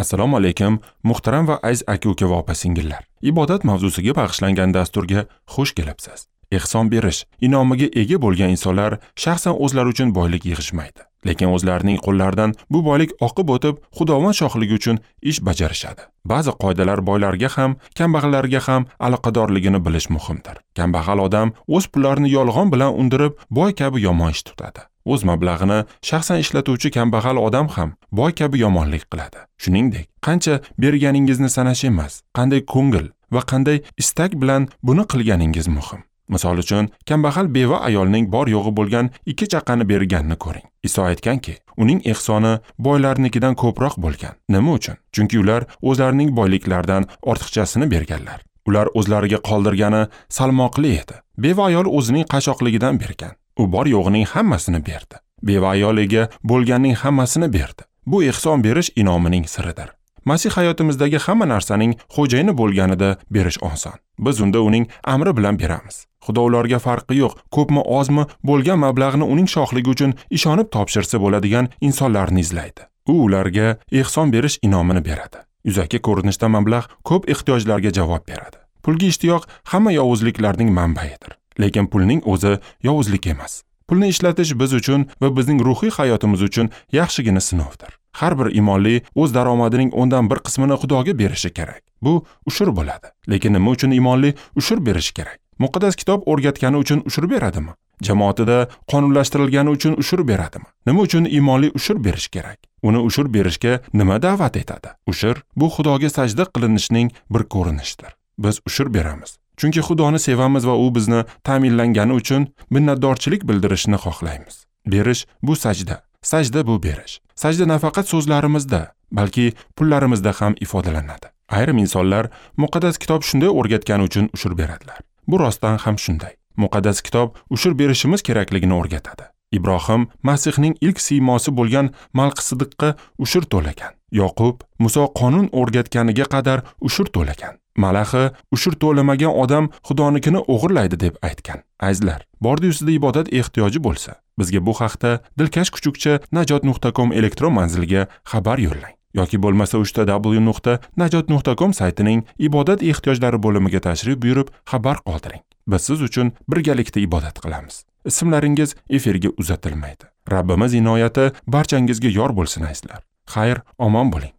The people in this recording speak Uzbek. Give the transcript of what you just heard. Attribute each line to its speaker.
Speaker 1: Assalomu alaykum, muhtaram va aziz aka-uka va opa-singillar. Ibodat mavzusiga bag'ishlangan dasturga xush kelibsiz. Ehson berish inomiga ega bo'lgan insonlar shaxsan o'zlari uchun boylik yig'ishmaydi, lekin o'zlarining qo'llaridan bu boylik oqib o'tib, Xudovand shohligi uchun ish bajarishadi. Ba'zi qoidalar boylarga ham, kambag'allarga ham aloqadorligini bilish muhimdir. Kambag'al odam o'z pullarini yolg'on bilan undirib, boy kabi yomon ish tutadi. O'z mablag'ini shaxsan ishlatuvchi kambag'al odam ham boy kabi yomonlik qiladi. Shuningdek, qancha berganingizni sanash emas, qanday ko'ngil va qanday istak bilan buni qilganingiz muhim. Misol uchun, kambag'al beva ayolning bor yo'g'i bo'lgan 2 chaqani berganini ko'ring. Iso aytganki, uning ehsoni boylarnikidan ko'proq bo'lgan. Nima uchun? Chunki ular o'zlarining boyliklaridan ortiqchasini berganlar. Ular o'zlariga qoldirgani salmoqli edi. Beva ayol o'zining qashoqligidan bergan. U bor yo'g'ining hammasini berdi. Beva ayol ega bo'lganning hammasini berdi. Bu ehson berish inomining siridir. Masih hayotimizdagi hamma narsaning xo'jayini bo'lganida berish oson. Biz unda uning amri bilan beramiz. Xudo ularga farqi yo'q, ko'pmi ozmi bo'lgan mablag'ni uning shohligi uchun ishonib topshirsa bo'ladigan insonlarni izlaydi. U ularga ehson berish inomini beradi. Yuzaki ko'rinishda mablag' ko'p ehtiyojlarga javob beradi. Pulga ishtiyoq hamma yovuzliklarning manbaidir. Lekin pulning o'zi yovuzlik emas. Pulni ishlatish biz uchun va bizning ruhiy hayotimiz uchun yaxshigina sinovdir. Har bir imonli o'z daromadining 1% qismini Xudoga berishi kerak. Bu ushur bo'ladi. Lekin nima uchun imonli ushur berishi kerak? Muqaddas kitob o'rgatgani uchun ushur beradimi? Jamoatida qonunlashtirilgani uchun ushur beradimi? Nima uchun imonli ushur berish kerak? Uni ushur berishga nima da'vat etadi? Ushur bu Xudoga sajda qilinishning bir ko'rinishidir. Biz ushur beramiz. Chunki Xudoni sevamiz va u bizni ta'minlangani uchun minnatdorchilik bildirishni xohlaymiz. Berish bu sajda, sajda bu berish. Sajda nafaqat so'zlarimizda, balki pullarimizda ham ifodalanadi. Ayrim insonlar muqaddas kitob shunday o'rgatgani uchun ushur beradilar. Bu rostdan ham shunday. Muqaddas kitob ushur berishimiz kerakligini o'rgatadi. Ibrohim Masihning ilk siymosi bo'lgan Malqisidiqqa ushur to'lagan. Yoqub Muso qonun o'rgatganiga qadar ushur to'lagan. Malaxi ushur to'lamagan odam Xudonikini o'g'irlaydi deb aytgan. Azizlar, bordi sizda ibodat ehtiyoji bo'lsa, bizga bu haqda dilkashkuchukcha@najot.com elektron manziliga xabar yo'llang yoki bo'lmasa www.najot.com saytining ibodat ehtiyojlari bo'limiga tashrif buyurib xabar qoldiring. Biz siz uchun birgalikda ibodat qilamiz. Ismlaringiz efirga uzatilmaydi. Rabbimiz inoyati barchangizga yor bo'lsin azizlar. Xayr, omon bo'ling.